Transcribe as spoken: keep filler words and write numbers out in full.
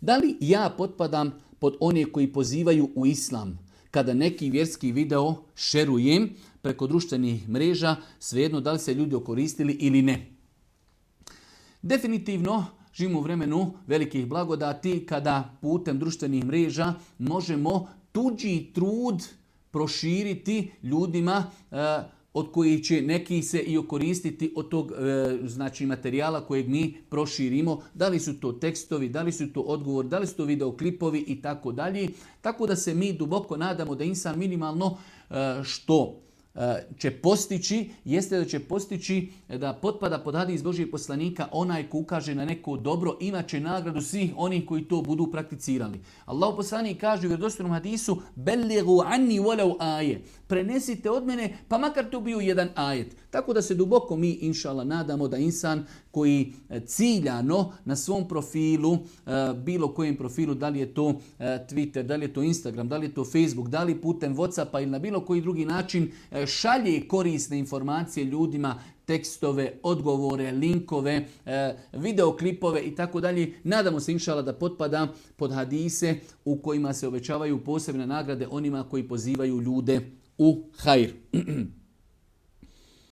Da li ja potpadam pod one koji pozivaju u islam? Kada neki vjerski video šerujem preko društvenih mreža, svejedno da li se ljudi okoristili ili ne. Definitivno živimo u vremenu velikih blagodati kada putem društvenih mreža možemo tuđi trud proširiti ljudima e, od kojih će neki se i okoristiti od tog e, znači materijala kojeg mi proširimo. Da li su to tekstovi, da li su to odgovor, da li su to videoklipovi i tako dalje. Tako da se mi duboko nadamo da insan minimalno e, što će postići, jeste da će postići da potpada pod hadis Božijeg poslanika onaj ko ukaže na neko dobro, imat će nagradu svih onih koji to budu prakticirali. Allah poslanik kaže u vjerodostojnom hadisu belligu anni walau aje. Prenesite od mene, pa makar to bio jedan ajet. Tako da se duboko mi, inšallah, nadamo da insan koji ciljano na svom profilu, bilo kojem profilu, da li je to Twitter, da li je to Instagram, da li je to Facebook, da li putem WhatsAppa ili na bilo koji drugi način šalje korisne informacije ljudima, tekstove, odgovore, linkove, videoklipove i tako dalje. Nadamo se, inšala, da potpada pod hadise u kojima se obećavaju posebne nagrade onima koji pozivaju ljude u hajr.